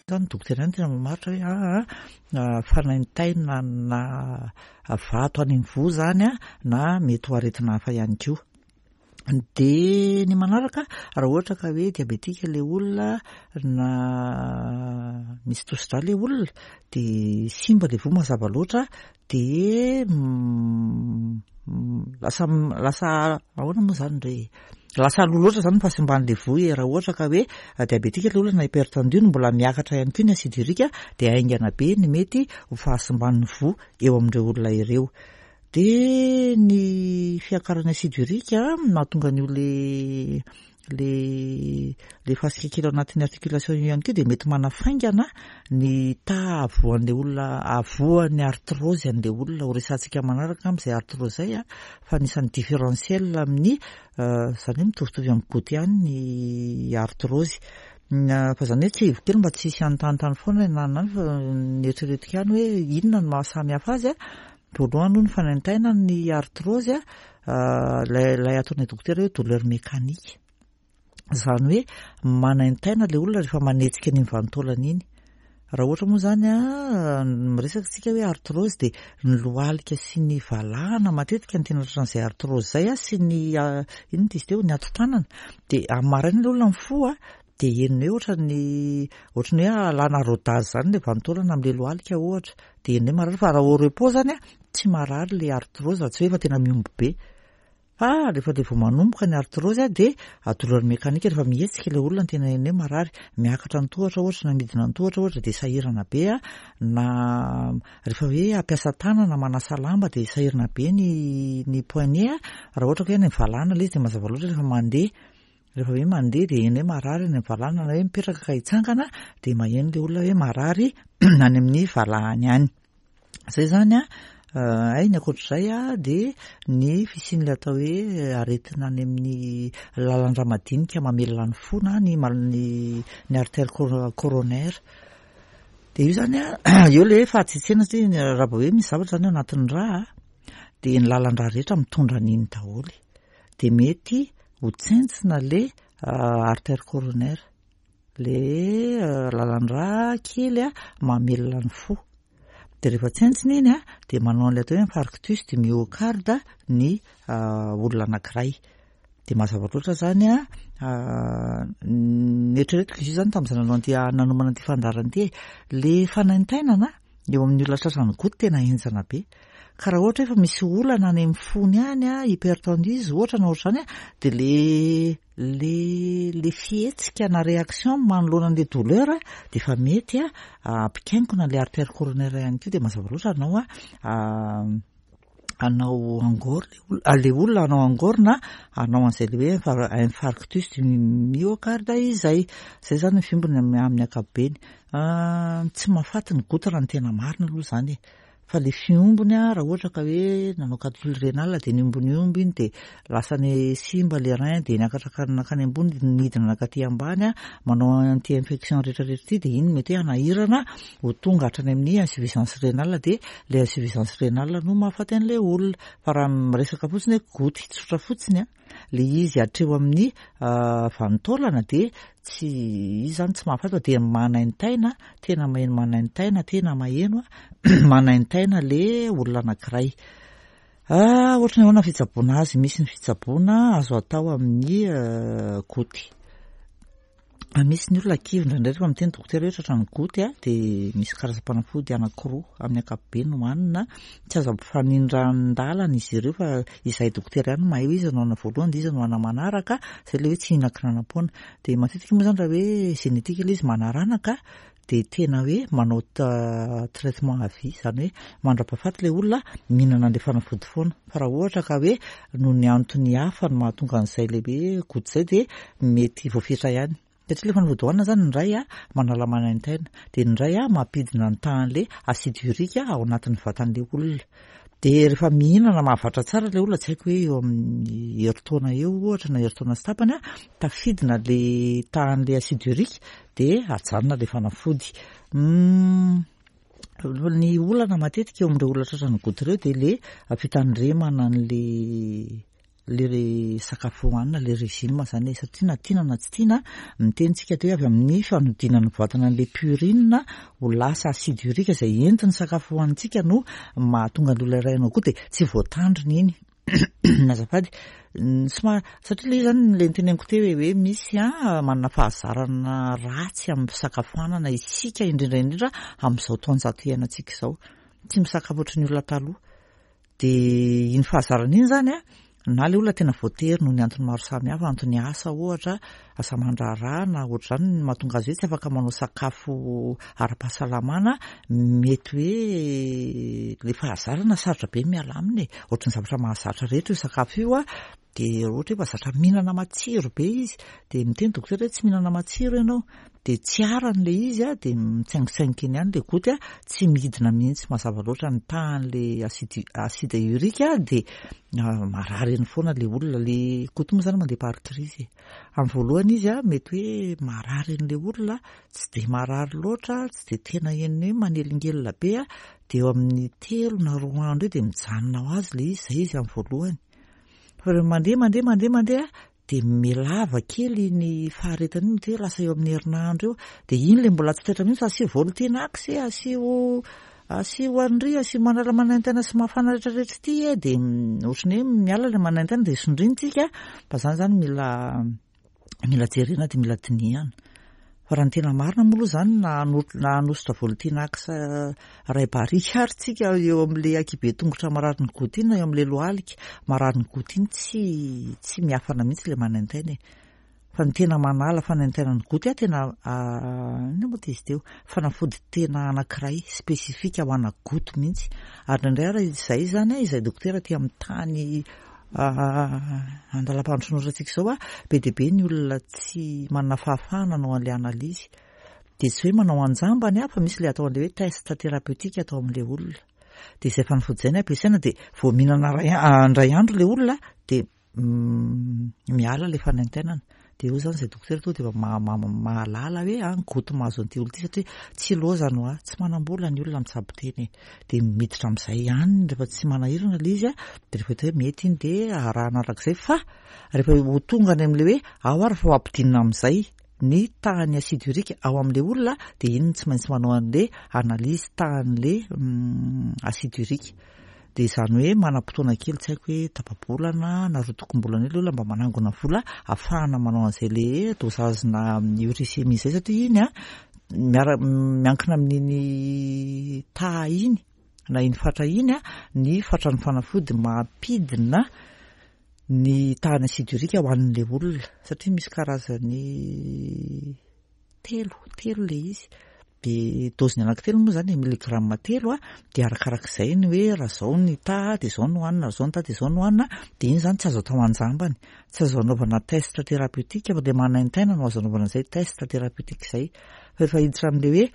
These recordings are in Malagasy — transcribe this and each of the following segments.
Zany dokotera ihany tena mamaritra hoe aa fanaintainana vato any amin'ny voa zany a, na mety ho aretina hafa ihany koa. Dia ny manaraka, raha ohatra ka hoe diabetika ilay olona na misy tosi-drà ilay olona dia simba ilay voa mazava loatra dia lasa lasa ahoana moa izany re e? Lasa aloha loatra izany ny fahasimban'ilay voa e, raha ohatra ka hoe diabetika ilay olona na hypertendu no mbola miakatra ihany koa ny acide urique dia haingana be ny mety ho fahasimban'ny voa eo amin'ireo olona ireo. Dia ny fiakaran'ny acide urique mahatonga an'io le le le fasika kely ao anatin'ny articulation io ihany koa dia mety manafaingana ny taha havoan'ilay olona havoan'ny arthrose an'ilay olona. Ho resahantsika manaraka angamba izay arthrose izay a, fa anisan'ny différentiel amin'ny izany hoe mitovitovy amin'ny goutte ihany ny arthrose. Fa izany hoe tsiahiviko kely mba tsy hisy hanontanintany foana na na fa neritreretiko ihany hoe inona no maha samy hafa azy a. Voalohany aloha ny fanaintainana ny arthrose a, ilay ilay ataonay dokotera hoe douleur mécanique. Izany hoe manaintaina ilay olona rehefa manetsika an'iny vanin-taolana iny. Raha ohatra moa izany a, miresaka isika hoe arthrose dia ny lohalika sy ny valahana matetika no tena tratran'izay arthrose izay a, sy ny inona izy teo, ny hatotanana. Dia amin'ny maraina ilay olona mifoha dia henony hoe ohatran'ny ohatran'ny hoe alana rodage izany ilay vanin-taolana amin'ilay lohalika ohatra. Dia ny hoe marary fa raha au repos zany a, tsy marary le arthrose raha tsy hoe efa tena mihombo be. Fa rehefa le vao manomboka ny arthrose a dia douleur mécanique rehefa mihetsika ilay olona no tena heno hoe marary. Miakatra ny tohatra ohatra na midina ny tohatra ohatra dia sahirana be a, na rehefa hoe hampiasa tanana manasa lamba dia sahirana be ny ny poignet a, raha ohatra ka hoe any amin'ny valahana ilay izy dia mazava loatra rehefa mandeha. Rehefa hoe mandeha dia heno hoe marary any amin'ny valahana na hoe mipetraka ka hitsangana dia maheno ilay olona hoe marary any amin'ny valahany any. Izay izany an, hay ny ankoatr'izay an dia ny fisian'ilay atao hoe aretina any amin'ny lalan-drà madinika mamelona ny fo na ny ny artère coronaire. Dia io izany an, eo ilay hoe fahatsetsena satria raha vao hoe misy zavatra izany ao anatin'ny rà dia ny lalan-drà rehetra mitondra an'iny daholo. Dia mety ho tsentsina le artère coronaire, le lalan-drà kely mamelona ny fo. Dia rehefa tsentsina iny dia manao an'ilay atao hoe infarctus du myocarde ny olona anankiray. Dia mazava loatra izany an, neritreretiko izy io izany tamin'izaho nanao an'ity nanomana an'ity fandaharana ity e, le fanaintainana eo amin'ny olona tratran'ny goutte tena henjana be. Ka raha ohatra hoe efa misy olana any amin'ny fony any a, hypertendu izy ohatra na ohatr'izany a, dia le le le fihetsika na réaction manoloana an'le douleur dia efa mety a hampikainkona an'le artère coronaire ihany koa dia mazava loatra hanao a hanao angor le olona hanao angor na hanao an'izay le hoe infarctus du myocarde izay. Izay izany ny fiombony amin'ny ankapobeny. Tsy mahafaty ny goutte raha ny tena marina aloha izany e. Fa le fiombony a, raha ohatra ka hoe nanao calcul rénal dia niomboniomby iny dia lasa ny simba le rein dia niakatra nankany ambony dia nidina nankaty ambany a, manao an'ity infection rehetra rehetra ity dia iny mety hoe hanahirana ho tonga hatrany amin'ny insuffisance rénale dia le insuffisance rénale no mahafaty an'ilay olona. Fa raha miresaka fotsiny hoe goutte tsotra fotsiny a, le izy hatreo amin'ny vanin-taolana dia tsy izy zany tsy mahafaty fa dia manaintaina, tena maheno manaintaina, tena maheno manaintaina le olona anankiray. Ohatry ny ahoana ny fitsaboana azy? Misy ny fitsaboana azo atao amin'ny goutte. Misy ny olona kivy indraindray rehefa miteny dokotera hoe tratran'ny goutte a, dia misy karazam-panafody anankiroa amin'ny ankapobeny hohanina. Tsy azo ampifanindran-dalana izy ireo fa izahay dokotera ihany no mahay hoe iza no hanana voalohany dia iza no hanana manaraka, izay ilay hoe tsy hihinan-kinanam-poana. Dia matetika moa izany raha hoe génétique ilay izy manaranaka dia tena hoe manao traitement à vie, izany hoe mandra-pahafaty ilay olona mihinana an'ilay fanafody foana. Fa raha ohatra ka hoe noho ny antony hafa no mahatonga an'izay ilay hoe goutte izay dia mety voafetra ihany. Satria ilay fanafody hohanina izany ny iray manala manaintaina, dia ny iray mampidina ny tahan'ilay acide urique ao anatin'ny vatan'ilay olona. Dia rehefa mihinana mahavatra tsara ilay olona, tsy haiko hoe eo amin'ny herintaona eo ohatra na herintaona sy tapany, tafidina ilay tahan'ilay acide urique dia ajanona ilay fanafody. Ny olana matetika eo amin'ireo olona tratran'ny goutte ireo dia ilay fitandremana an'ilay. le sakafo hohanina, le régime zany e, satria na tiana na tsy tiana, miteny tsika teo hoe avy amin'ny fanodinana ny vatana an'le purine ho lasa acide urique izay entin'ny sakafo hohanintsika no mahatonga ny olona iray hanao goûte, dia tsy voatandrina iny. Azafady, somary, satria le izy zany le noteneniko teo hoe hoe misy an, manana fahazarana ratsy amin'ny fisakafoanana isika indrindra indrindra amin'izao taonjato iainantsika izao. Tsy misakafo ohatry ny olona taloha. Dia iny fahazarana iny zany an, na le olona tena voatery noho ny antony maro samihafa, antony asa ohatra, asa aman-draharaha na ohatr'izany no mahatonga azy hoe tsy afaka manao sakafo ara-pahasalamana, mety hoe le fahazarana sarotra be ny miala aminy e, ohatry ny zavatra mahazatra rehetra io sakafo io an, dia ohatra hoe efa zatra mihinana matsiro be izy, dia miteny dokotera hoe tsy mihinana matsiro ianao, dia tsy arany ilay izy an, dia mitsaingotsaingoka eny ihany ilay goty an, tsy midina mihitsy mazava loatra ny tahan'ilay acide acide urique dia marary eny foana ilay olona, ilay goty moa izany mandeha par crise e. Amin'ny voalohany izy an, mety hoe marary an'ilay olona, tsy dia marary loatra, tsy dia tena henony hoe manelingelina be an, dia eo amin'ny telo na roa andro eo dia mijanona ho azy ilay izy, izay izy amin'ny voalohany. Fa rehefa mandeha mandeha mandeha mandeha dia mihalava kely iny faharetana iny, mety hoe lasa eo amin'ny herinandro eo, dia iny ilay mbola tsy taitra mihitsy fa asio Voltinax e, asio asio an'ry, asio manala manaintaina sy mafana rehetrarehetra ity e, dia ohatran'ny hoe miala ilay manaintaina dia sondriana tsika, fa izany izany mila mila jerena dia mila dinihana. Fa raha ny tena marina moa aloha izany na na hanosotra Voltinax iray barika ary tsika eo amin'ilay ankihibe tongotra marary ny goty iny na eo amin'ilay lohalika marary ny goty iny tsy tsy miafana mihitsy ilay manaintaina e. Fa ny tena manala fanaintainan'ny goty tena inona moa izy teo? Fanafody tena anankiray spécifique ho ana goty mihitsy. Ary indraindray ary izay izany izay dokotera aty amin'ny tany Andalam-pandrosoana ohatrantsika izao, be dia be ny olona tsy manana fahafahana hanao an'ilay analyse. Dia tsy hoe manao anjambany fa misy ilay atao an'ilay hoe test thérapeutique atao amin'ilay olona. Dia izay fanafody izay no ampiasaina dia vao mihinana indray andro ilay olona dia miala ilay fanaintainana. Dia eo izany izay dokotera tonga dia efa mahalala hoe an, goty mahazo an'ity olona ity satria tsy lozany hoa, tsy manam-bola ny olona mitsabo tena e. Dia miditra amin'izay ihany rehefa tsy manahirana ilay izy an, dia rehefa hita hoe mety iny dia arahana arak'izay fa rehefa ho tonga any amin'ilay hoe ao ary fa ho ampidinina amin'izay ny tahan'ny acide urique ao amin'ilay olona dia iny no tsy maintsy manao an'ilay analyse tahan'ilay acide urique. Dia izany hoe manam-potoana kely tsy haiko hoe tapa-bolana na rotokom-bolana eo ilay olona mba manangona vola ahafahana manao an'izay le dosage-na uricémie izay satria iny an miara miankina amin'iny taha iny na iny fatra iny an ny fatran'ny fanafody mampidina ny tahan'ny acide urique ho an'ilay olona satria misy karazany telo, telo ilay izy. Dia doziny anankitelo moa izany milligramme telo a, dia arakarak'izay ny hoe raha izao ny taha dia izao no hohanina, raha izao ny taha dia izao no hohanina, dia iny izany tsy azo atao an-jambany, tsy azo anaovana test thérapeutique fa ilay manaintaina no azo anaovana an'izay test thérapeutique izay. Fa rehefa hiditra amin'ilay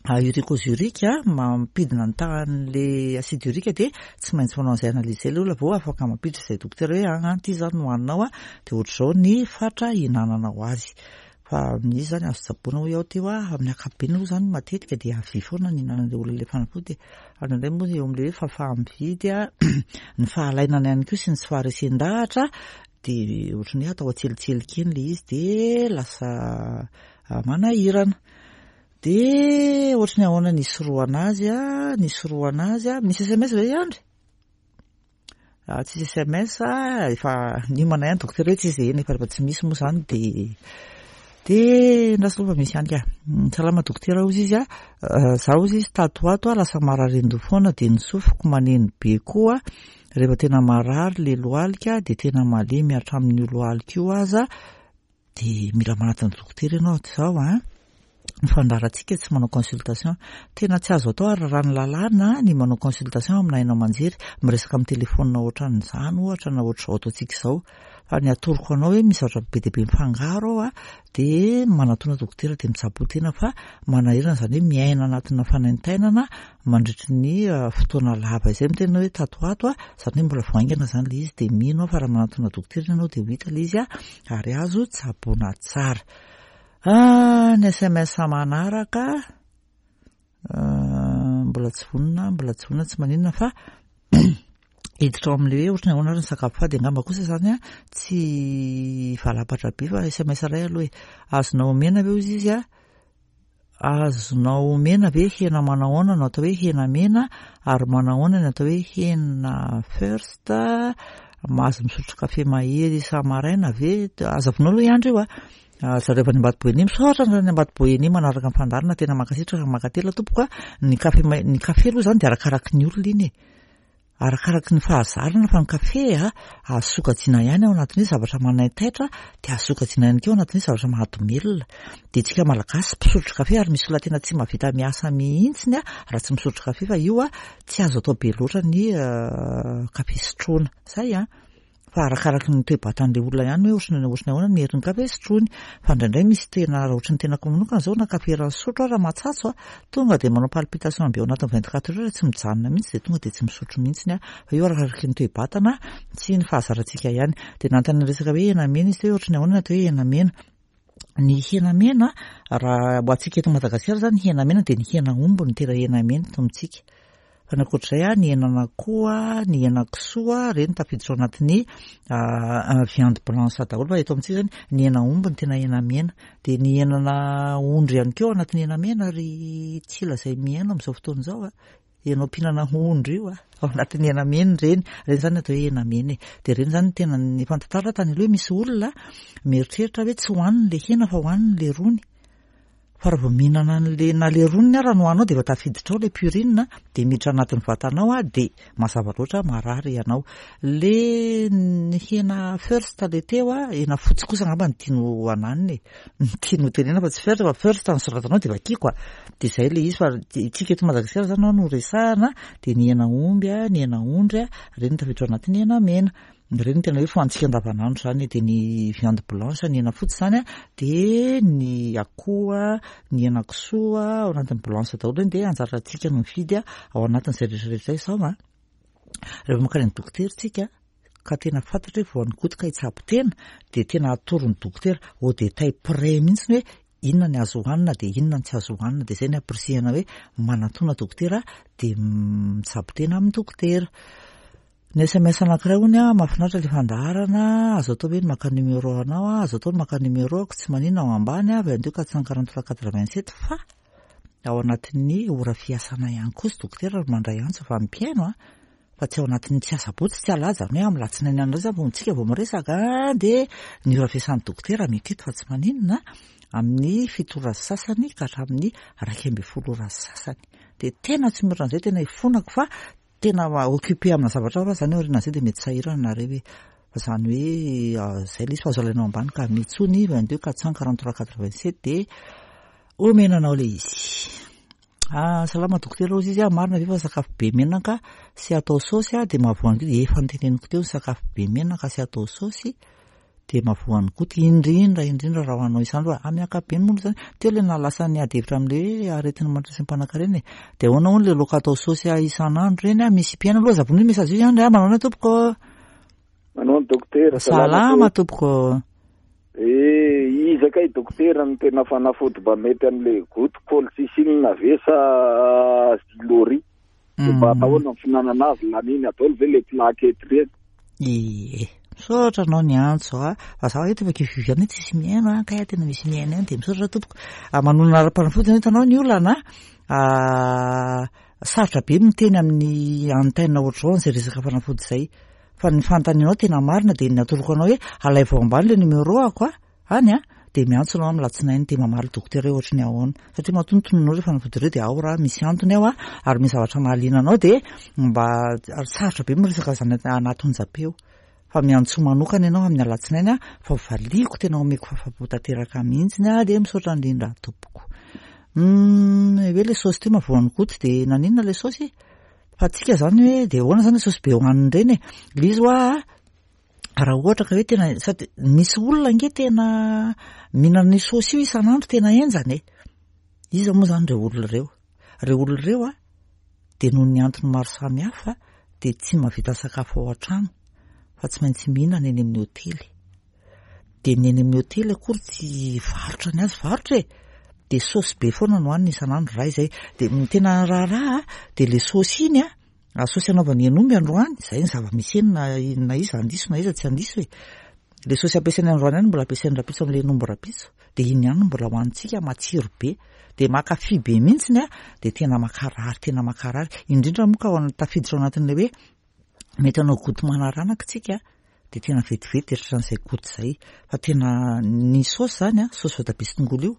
hoe uricosurique mampidina ny tahan'ilay acide urique dia tsy maintsy manao an'izay analyse izay ilay olona vao afaka mampiditra izay dokotera hoe an an ity izany no hohaninao a, dia ohatr'izao ny fatra hihinananao azy. Fa misy izany azo tsaboina hoy aho teo a, amin'ny ankapobeny aloha izany matetika dia havia foana ny hihinanan'ilay olona ilay fanafody e. Ary indraindray moa eo amin'ilay hoe fahafaha-mividy a, ny fahalainana ihany koa sy ny tsy faharesen-dahatra dia ohatran'ny hoe atao antselintselika eny ilay izy dia lasa manahirana. Dia ohatran'ny ahoana ny hisorohana azy a, ny hisorohana azy a, misy sms ve i Andry? Ah, tsisy sms ah, efa niomana ihany dokotera hoe tsisy eny efa rehefa tsy misy moa zany de de ndraso aloha fa misy ihany ka. Hmm, salama dokotera hozy izy a, ah, za hozy izy tato ho ato a lasa marary an-doha foana de ny sofiko maneno be koa, rehefa tena marary le lohalika de tena malemy hatramin'io lohalika io aza, Dia mila manatona dokotera ianao izao an! Ny fandaharantsika tsy manao consultation. Tena tsy azo atao ary raha ny lalàna ny manao consultation amina haino aman-jery, miresaka amin'ny telefaonina ohatran'izany ohatra na ohatr'izao ataontsika izao. Fa ny atoroko anao hoe misy zavatra be dia be mifangaro ao an, dia manatona dokotera dia mitsaboa tena fa manahirana izany hoe miaina anatina fanaintainana mandritry ny fotoana lava izay miteny hoe tato ho ato izany hoe mbola vao haingana izany ilay izy dia mino aho fa raha manatona dokotera ianao dia ho hita ilay izy ary azo tsaboina tsara. Ah, ny sms manaraka mbola tsy vonona, mbola tsy vonona, tsy maninona fa Hiditra ao amin'ilay hoe ohatran'ny ahoana ary ny sakafo fady angamba kosa izany an, tsy hivalapatra be fa sms iray aloha e. Azonao omena ve hozy izy an? Azonao omena ve hena manahoana no atao hoe hena mena ary manahoana ny atao hoe hena first? Mahazo misotro kafe mahery isa-maraina ve? Aza vonoina aloha i Andry io a. Zareo avy any Ambatoboeny, misaotra anareo any Ambatoboeny manaraka ny fandaharana, tena mankasitraka, mankatelina tompoko a. Ny kafe, ny kafe aloha izany dia arakaraky ny olona iny e. Arakaraky ny fahazarana fa ny kafe a, azo sokajiana ihany ao anatin'ny hoe zavatra manaitaitra dia azo sokajiana ihany koa ao anatin'ny hoe zavatra mahadomelina. Dia tsika Malagasy mpisotro kafe ary misy olona tena tsy mahavita miasa mihitsiny a raha tsy misotro kafe fa io a tsy azo atao be loatra ny kafe sotroina. Zay a! Fa arakaraky ny toe-batan'ilay olona ihany hoe ohatran'ny ohatran'ny ahoana ny herin'ny kafe sotroiny. Fa indraindray misy tena raha ohatran'ny tenako manokana izao na kafe iray nisotro aho raha mahatsatso a, tonga dia manao palpitation be ao anatin'ny 24 heures tsy mijanona mihitsy dia tonga dia tsy misotro mihitsy aho. Fa io arakaraky ny toe-batana sy ny fahazarantsika ihany. Dia nanontany resaka hoe hena mena izy teo hoe ohatran'ny ahoana ny atao hoe hena mena. Ny hena mena, raha ho antsika eto Madagasikara izany ny hena mena dia ny hena omby no tena hena mena eto amintsika. Fa ny ankoatr'izay, ny henan'akoho, ny henakisoa, ireny tafiditra ao anatin'ny viande blanche daholo. Fa eto amintsika izany ny hena omby no tena hena mena. Dia ny henana ondry ihany koa ao anatin'ny hena mena ry tsila izay mihaino amin'izao fotoana izao. Ianao mpihinana ondry io a, ao anatin'ny hena mena ireny, ireny izany atao hoe hena mena e. Dia ireny izany no tena efa nitantara aho tany aloha hoe misy olona mieritreritra hoe tsy hohaniny ilay hena fa hohaniny ilay rony. Fa raha vao mihinana an'ilay na ilay roniny ara no hohaninao dia efa tafiditra ao ilay purine dia miditra anatin'ny vatanao a, dia mazava loatra marary ianao. Ilay ny hena first ilay teo a, hena fotsy kosa angamba no tiany ho ananina e. Ny tiany ho tenenina fa tsy first fa first no soratanao dia vakiako a. Dia izay ilay izy fa isika eto Madagasikara izany no resahana dia ny hena omby a, ny hena ondry a, ireny no tafiditra ao anatin'ny hena mena. Ireny no tena hoe fohanintsika andavanandro izany e. Dia ny viande blanche, ny hena fotsy izany a, dia ny akoho a, ny hena kisoa ao anatin'ny blanche daholo ireny dia anjarantsika no mifidy ao anatin'izay rehetra rehetra izay sao a. Rehefa mankany amin'ny dokotera isika ka tena fantatra hoe voan'ny goty ka hitsabo tena dia tena atoron'ny dokotera au détail près mihitsy hoe inona ny azo hohanina dia inona ny tsy azo hohanina dia izay ny ampirisihana hoe manatona dokotera dia mitsabo tena amin'ny dokotera. Ny sms anankiray hono a, mahafinaritra ilay fandaharana, azo atao ve ny maka numéro anao a, azo atao ny maka numéro ako, tsy maninona ao ambany a, 22 443 87 fa ao anatin'ny ora fiasana ihany koa sy dokotera no mandray antso fa ny mpihaino a, fa tsy ao anatin'ny tsy asabotsy tsy alahady izany hoe amin'ny alatsinainy any indray izany vao tsika vao miresaka dia ny ora fiasan'ny dokotera mety eto fa tsy maninona amin'ny fito ora sy sasany ka hatramin'ny 11 ora sy sasany dia tena tsy mihoatra an'izay tena ifonako fa tena occupé amina zavatra hafa izany aorianan'izay dia mety sahirana nareo e fa izany hoe izay ilay izy fa azo alainao ambany ka mitsony 22 443 87 dia omena anao ilay izy. Ah, salama dokotera hozy izy ah, marina ve fa sakafo be menaka sy atao saosy ah dia mahavoan'ny goty? Efa noteneniko teo ny sakafo be menaka sy atao saosy dia mahavoan'ny goty, indrindra indrindra raha hoanao isan'andro fa amin'ny ankapobeny moa izany teo ilay nahalasa ny ady hevitra amin'ilay hoe aretin'ny mahantra sy ny mpanankarena e. Dia ahoana hono ilay laoka atao saosy ah isan'andro ireny ah, misy mpihaino aloha aza vonoina message io ihany ry ah, manao ahoana tompoko? Manao ny dokotera. Salama tompoko. Eh, iza kay dokotera no tena fanafody mba mety an'le goutte colchicine ve sa zilori? De mba mm. ahoana ny fihinanana azy laniny daholo ve le plaquette ireny? Ie. Misaotra anao niantso a. Fa za eto efa kivikivy ihany tsisy mihaino a, kay tena misy mihaino ihany dia misaotra tompoko. Ah, manonona ara-panafody zany hitanao ny olana. Ah, sarotra be miteny amin'ny antenne ohatr'izao an'izay resaka fanafody izay. Fa ny fanontanianao tena marina dia ny atoroko anao hoe alaivo ao ambany ilay numéro ako a, any a, dia miantso anao amin'ny latsinainy dia mamaly dokotera hoe ohatry ny ahoana. Satria matoa notononinao ireo fanafody ireo dia ao raha misy antony ao a, ary misy zavatra mahaliana anao dia mba ary sarotra be miresaka izany anaty onjam-peo. Fa miantsoa manokana ianao amin'ny alatsinainy a, fa valiako tena omeko fahafapo tanteraka mihitsy a, dia misaotra indrindra tompoko. Hum, hoe ilay saosy teo mahavoan'ny goty dia naninona ilay saosy? Fa tsika zany hoe de ahoana zany saosy be hohanina ireny e? Le izy hoa raha ohatra ka hoe tena sady misy olona ange tena mihinana io saosy io isan'andro tena henjana e. Iza moa zany ireo olona ireo? Ireo olona ireo a dia noho ny antony maro samihafa dia tsy mahavita sakafo ao an-trano fa tsy maintsy mihinana eny amin'ny hotely. Dia ny eny amin'ny hotely akory tsy varotra ny azy varotra e! Dia saosy be foana no hanina isan'andro raha izay. Dia ny tena raharaha dia ilay saosy iny a, Saosy anaovany hen'omby androany, izay ny zava-misy eny na na iza handiso na iza tsy handiso e. Ilay saosy ampiasainy androany ihany mbola ampiasainy rahampitso amin'ilay hen'omby rahampitso. Dia iny ihany no mbola hohanintsika, matsiro be. Dia mankafy be mihitsiny a, dia tena mankarary, tena mankarary. Indrindra moa ka ao tafiditra ao anatin'ilay hoe mety hanao goutte manaranaka tsika dia tena vetivety dia tratran'izay goutte izay. Fa tena ny saosy izany a, saosy voatabia sy tongolo io,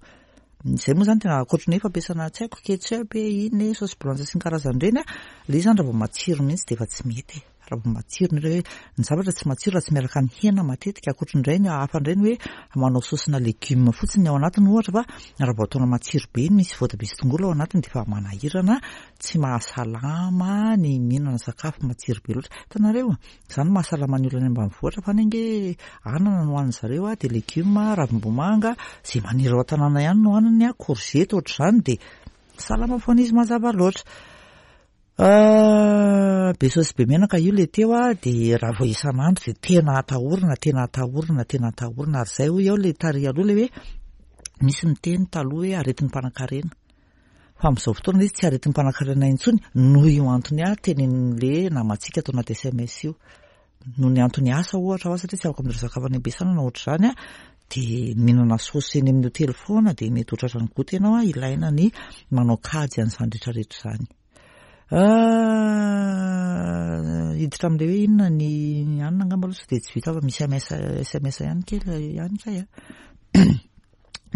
izay moa izany tena ankoatry ny hoe fampiasana tsy haiko ketchup e, inona e, saosy blanche sy ny karazany ireny a, ilay izy izany raha vao matsiro mihitsy dia efa tsy mety e. Raha vao matsiro ny hoe ny zavatra tsy matsiro raha tsy miaraka amin'ny hena matetika, ankoatry ny indray ny hafa indray ny hoe manao saosina legioma fotsiny ao anatiny ohatra fa raha vao ataonao matsiro be iny misy voatabia sy tongolo ao anatiny dia efa manahirana, tsy mahasalama ny mihinana sakafo matsiro be loatra. Hitanareo, izany no mahasalama ny olona any ambanivohitra fa any ange anana no hanin-dry zareo dia legioma, ravim-bomanga, izay maniry ao an-tanàna ihany no haniny, korzety ohatr'izany dia salama foana izy mazava loatra. Be saosy be menaka io le teo a, de raha vao isan'andro de tena atahorana, tena atahorana, tena atahorana, ary zay hoy aho le tary aloha le hoe misy miteny taloha hoe aretin'ny mpanankarena, fa amin'izao fotoana izy tsy aretin'ny mpanankarena intsony noho io antony ahy tenenin'le namantsika ato anaty sms io, noho ny antony asa ohatra aho satria tsy afaka mitondra sakafo any am-piasana na ohatr'izany a, de mihinana saosy eny amin'ny hotely foana de mety ho tratran'ny goty ianao a, ilaina ny manao kajy an'izany rehetrarehetra izany. Hiditra amin'ilay hoe inona ny anona angamba aloha sao dia tsy vita fa misy MS SMS ihany kely ihany kay a.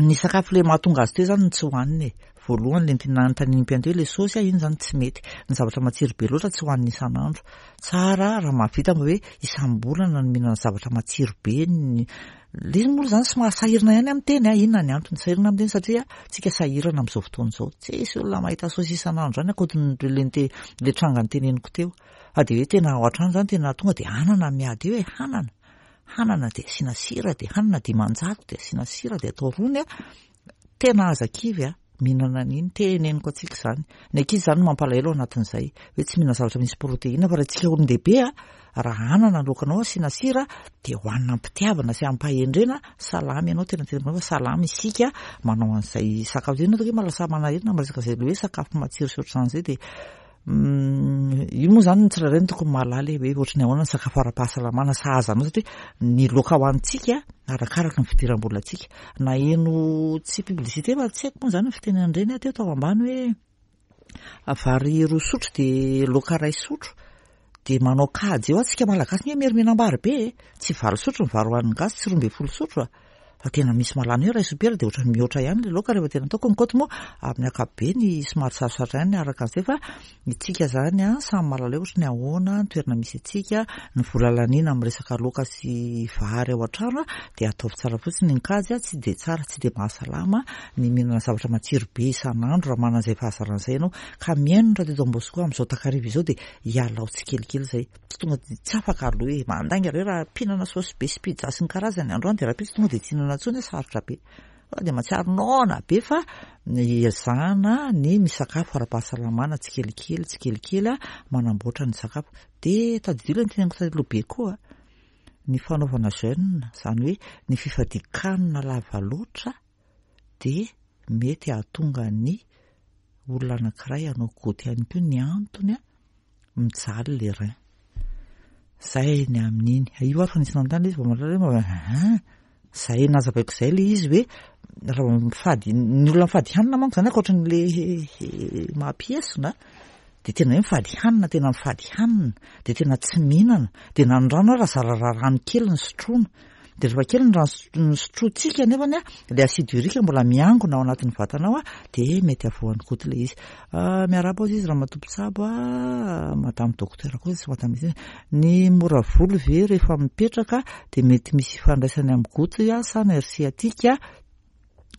Ny sakafo ilay mahatonga azy teo izany no tsy hohanina e. Voalohany ilay nanontanian'ny mpianto hoe ilay saosy a, iny izany tsy mety. Ny zavatra matsiro be loatra tsy hohanina isan'andro. Tsara raha mahavita mba hoe isam-bolana no mihinana zavatra matsiro be ny Ilay izy moa izany somary sahirana ihany amin'ny teny a, inona ny antony sahirana amin'ny teny satria tsika sahirana amin'izao fotoana izao. Tsisy olona mahita saosy isan'andro izany ankoatran'ilay nite- ilay tranga noteneniko teo. Fa dia hoe tena ao an-trano izany tena tonga dia anana miady eo e, hanana. Hanana dia asiana sira dia hanana 500 dia asiana sira dia atao rony a. Tena aza kivy a, mihinana an'iny, teneniko antsika izany. Ny ankizy izany no mampalahelo ao anatin'izay, hoe tsy mihinana zavatra misy protéine, fa raha isika olon-dehibe a, raha anana ny laokanao asiana sira, dia hohanina am-pitiavana sy am-pahendrena, salama ianao, tena teneniko anao fa salama isika manao an'izay sakafo izay, ianao tokoa lasa manahirana miresaka izay hoe sakafo matsiro sy ohatr'izany izay dia Io moa izany ny tsirairay no tokony mahalala hoe ohatry ny ahoana ny sakafo ara-pahasalamana sahaza anao satria ny laoka hohanintsika arakaraka ny fidiram-bolantsika. Naheno tsy publicité fa tsy haiko moa izany ny fiteny an'ireny aho teo tao ambany hoe vary roa sotro dia laoka iray sotro dia manao kajy eo antsika malagasy nge merimenam-bary be e, tsy valo sotro ny vary hohanin'ny gasy, tsy 12 sotro a. Fa tena misy mahalany hoe iray sopiera dia ohatran'ny mihoatra ihany ilay laoka rehefa tena ataoko ny kaoty moa amin'ny ankapobeny somary sarosarotra ihany araka an'izay fa itsika izany an samy mahalala hoe ohatry ny ahoana ny toerana misy antsika, ny vola laniana amin'ny resaka laoka sy vary ao an-trano dia ataovy tsara fotsiny ny kajy tsy dia tsara tsy dia mahasalama ny mihinana zavatra matsiro be isan'andro raha manana izay fahazarana izay ianao ka mihaino ny radio Don Bosco amin'izao takariva izao dia ialao tsikelikely izay. Tsy tonga dia tsy afaka aloha e, mandainga re raha mpihinana saosy be sy pizza sy ny karazany androany dia rahampitso tonga dia tsy hihinana intsony hoe sarotra be. Fa dia mahatsiaro noana be fa ezahana ny misakafo ara-pahasalamana tsikelikely tsikelikely manamboatra ny sakafo. Dia tadidio ilay noteneniko taloha be koa, ny fanaovana jeûne, izany hoe ny fifadian-kanina lava loatra dia mety hahatonga ny olona anankiray hanao goty ihany koa ny antony mijaly le rein. Zay ny amin'iny. Io ary fa nisy nanontany izy vao mahalala hoe mba hein, zay nazavaiko zay le izy hoe raha vao mifady, ny olona mifady hanina manko zany ankoatran'le mampiesona dia tena hoe mifady hanina, tena mifady hanina, dia tena tsy mihinana, dia na ny rano ara zara raha rano kely no sotroina. Dia rehefa kely ny rano nosotrointsika nefany a, ilay acide urique mbola miangona ao anatin'ny vatana ao a, dia mety havoan'ny goty ilay izy. Ah, miarahaba hozy izy ramatoa mpitsabo a, madame docteur koa izy, madame izy. Ny mora volo ve rehefa mipetraka dia mety misy ifandraisany amin'ny goty sa nerf sciatique?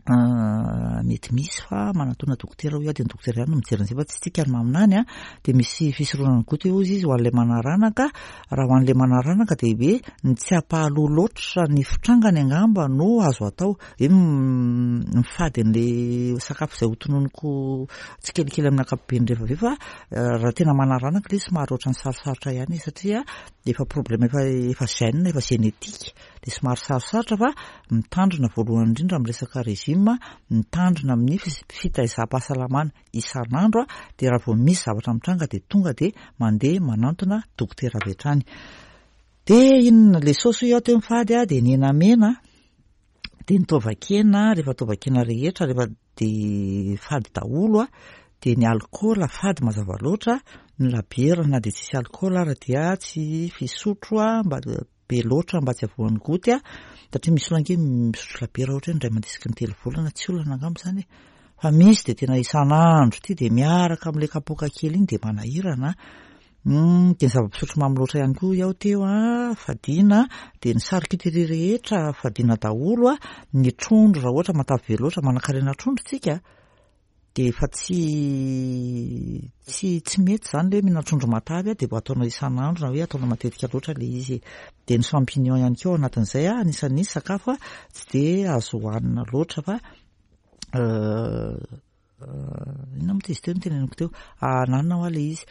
Mety misy fa manatona dokotera hoy aho dia ny dokotera ihany no mijery an'izay fa tsy tsika no maminany a, dia misy fisoronana goty hoy izy ho an'ilay manaranaka, raha ho an'ilay manaranaka dia hoe ny tsy hampahaloa loatra ny fitrangany angamba no azo atao, hoe mifady an'ilay sakafo izay hotononiko tsikelikely amin'ny ankapobeny rehefa avy eo fa raha tena manaranaka ilay izy somary ohatran'ny sarosarotra ihany izy satria efa problème efa efa gène efa génétique. Dia somary sarosarotra fa mitandrina voalohany indrindra amin'ny resaka régime, mitandrina amin'ny fitaizam-pahasalamana isan'andro dia raha vao misy zavatra mitranga dia tonga dia mandeha manantona dokotera avy hatrany. Dia inona ilay saosy hoy aho teo mifady dia ny hena mena dia ny taovan-kena, rehefa taovan-kena rehetra rehefa dia fady daholo dia ny alikaola fady mazava loatra, ny labiera na dia tsisy alikaola ara dia tsy fisotro mba be loatra mba tsy havoan'ny goty a, satria misy olona ange misotro labiera ohatra hoe indray mandeha isaky ny 3 volana, tsy olana angamba izany e, fa misy dia tena isan'andro ity dia miaraka amin'ilay kapoaka kely iny dia manahirana a. Dia ny zava-pisotro mamy loatra ihany koa hoy aho teo a, fadiana, dia ny charcuterie rehetra fadiana daholo a, ny trondro raha ohatra matavy be loatra, manankarena trondro tsika dia efa tsy tsy tsy mety izany ilay hoe mihinana trondro matavy a, dia mba ataonao isan'andro na hoe ataonao matetika loatra ilay izy e. Dia ny champignon ihany koa ao anatin'izay a, anisan'ny sakafo a tsy dia azo hohanina loatra fa Inona moa izy teo no teneniko teo? Ananona hoa ilay izy.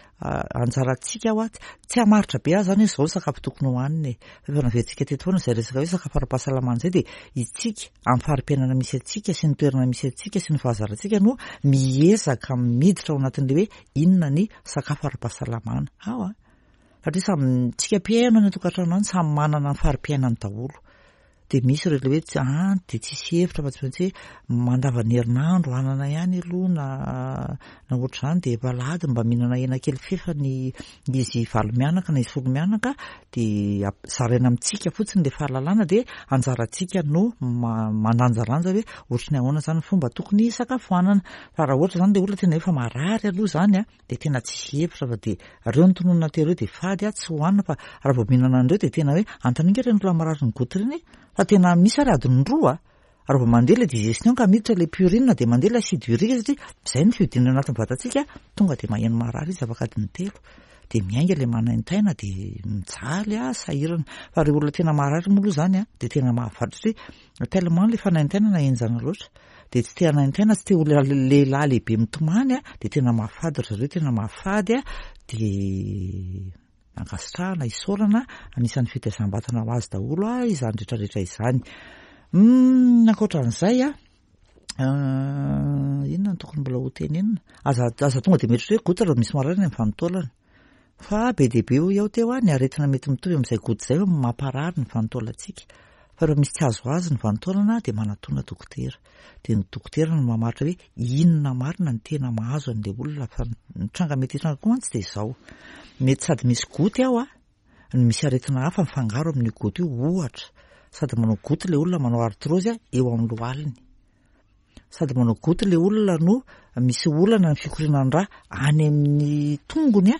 Anjarantsika hoa, tsy hamaritra be aho izany hoe izao ny sakafo tokony hohanina e. Fa efa naverintsika teto foana izay resaka hoe sakafo ara-pahasalamana izay dia isika amin'ny fari-piainana misy antsika sy ny toerana misy antsika sy ny fahazarantsika no miezaka miditra ao anatin'ilay hoe inona ny sakafo ara-pahasalamana. Ao an! Satria samy tsika mpihaino any an-tokantrano any samy manana ny fari-piainany daholo. Dia misy ireo ilay hoe tsy an dia tsisy hevitra fa tsy maintsy hoe mandavan'ny herinandro anana ihany aloha na na ohatr'izany dia efa alahady mba mihinana hena kely fefany izy valo mianaka na izy folo mianaka dia zaraina amintsika fotsiny ilay fahalalana dia anjarantsika no mandanjalanja hoe ohatry ny ahoana izany ny fomba tokony hisakafoanana. Fa raha ohatra izany ilay olona tena efa marary aloha izany an, dia tena tsisy hevitra fa dia reo ny tononina teo reo dia fady a, tsy hohanina fa raha vao mihinana an'ireo dia tena hoe antanio ireny olona marary ny goutte ireny fa tena misy ary adiny roa a, raha vao mandeha ilay digestion ka miditra ilay purine dia mandeha ilay acide urique satria izay ny fihodinana anatin'ny vatantsika tonga dia maheno marary izy afaka adiny 3 dia miainga ilay manaintaina dia mijaly a, sahirana fa ireo olona tena marary moa aloha izany a dia tena mahafaty satria tellement ilay fanaintainana henjana loatra dia tsy te hanaintaina, tsy te ho lehilahy lehibe mitomany a, dia tena mahafady ry zareo, tena mahafady a, dia ankasitrahana, isaorana, anisan'ny fitaizam-batana ho azy daholo a izany rehetra rehetra izany. Ankoatran'izay a, inona no tokony mbola ho tenenina? Aza, aza tonga dia mieritreritra hoe goutte raha misy marary any amin'ny vanin-taolana. Fa be dia be hoy aho teo ny aretina mety mitovy amin'izay goutte izay mamparary ny vanin-taolantsika. Fa raha misy tsy azoazo ny vanin-taolana dia manatona dokotera. Dia ny dokotera no mamaritra hoe inona marina ny tena mahazo an'ilay olona. Fa ny tranga mety hitranga koa mantsy dia izao. Mety sady misy goutte ao no misy aretina hafa mifangaro amin'io goutte io. Ohatra, sady manao goutte ilay olona manao arthrose eo amin'ny lohaliny. Sady manao goutte ilay olona no misy olana ny fikorianan-drà any amin'ny tongony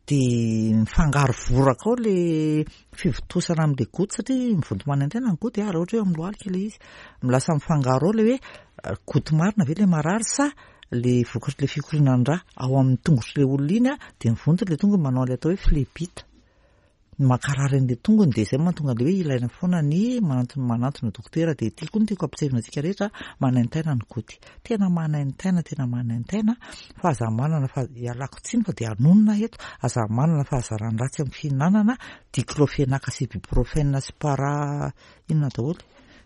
dia mifangaro voraka ao ilay fivontosana amin'ilay goutte satria mivonto manaintaina ny goutte raha ohatra hoe amin'ny lohalika ilay izy. Lasa mifangaro ao ilay hoe goutte marina ve ilay marary sa ilay vokatr'ilay fikorianan-drà ao amin'ny tongotr'ilay olona iny dia mivonto ilay tongony manao ilay atao hoe phlébite. Mankarary an'ilay tongony dia izay mahatonga an'ilay hoe ilaina foana ny manantona manantona dokotera dia ity koa no tiako ampisehoana antsika rehetra manaintaina ny goty tena manaintaina tena manaintaina fa aza manana fa ialako tsiny fa dia anonona eto aza manana fahazaran-dratsy amin'ny fihinanana diclofenac sy ibuprofène sy para inona daholo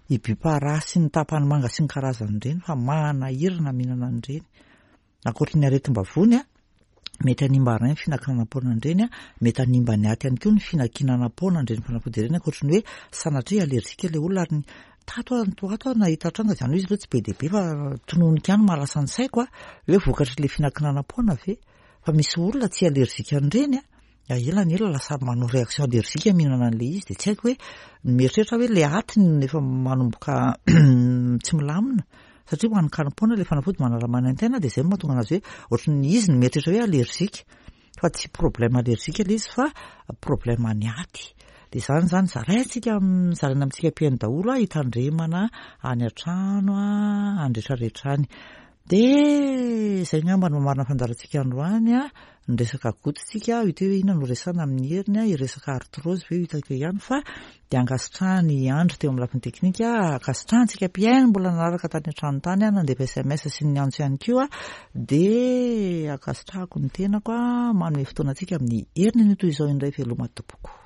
ibupara sy ny tapany manga sy ny karazany ireny fa manahirana mihinana an'ireny Ankoatry ny aretim-bavony, mety hanimba rein ny fihinankinanam-poana an'ireny, mety hanimba ny aty ihany koa ny fihinankinanam-poana an'ireny fanafody ireny, ankoatry ny hoe sanatria allergique ilay olona ary ny tato aho to ato aho nahita tranga izany hoe izy aloha tsy be dia be fa tononiko ihany mahalasa ny saiko hoe vokatr'ilay fihinankinanam-poana ve fa misy olona tsy allergique an'ireny Ela ny ela lasa manao réaction allergique mihinana an'ilay izy dia tsy haiko hoe mieritreritra hoe ilay atiny no efa manomboka tsy milamina satria ho an'ny karim-poana ilay fanafody manala manaintaina dia izay no mahatonga anazy hoe ohatran'ny izy no mieritreritra hoe allergique fa tsy problème allergique ilay izy fa problème any aty. Dia izany izany zaraintsika zaraina amintsika mpihaino daholo a hitandremana any an-trano a any rehetrarehetra any. Dia izay angamba no mamarana fandaharantsika androany a. Niresaka goutte tsika, io teo hoe inona no resahana amin'ny heriny a, hiresaka arthrose ve io hitako eo ihany fa dia ankasitrahany i Andry teo amin'ny lafiny teknika, ankasitrahantsika mpihaino mbola nanaraka tany an-trano tany a, nandefa sms sy ny niantso ihany koa, dia ankasitrahako ny tenako a, manome fotoana antsika amin'ny heriny anio toy izao indray veloma tompoko.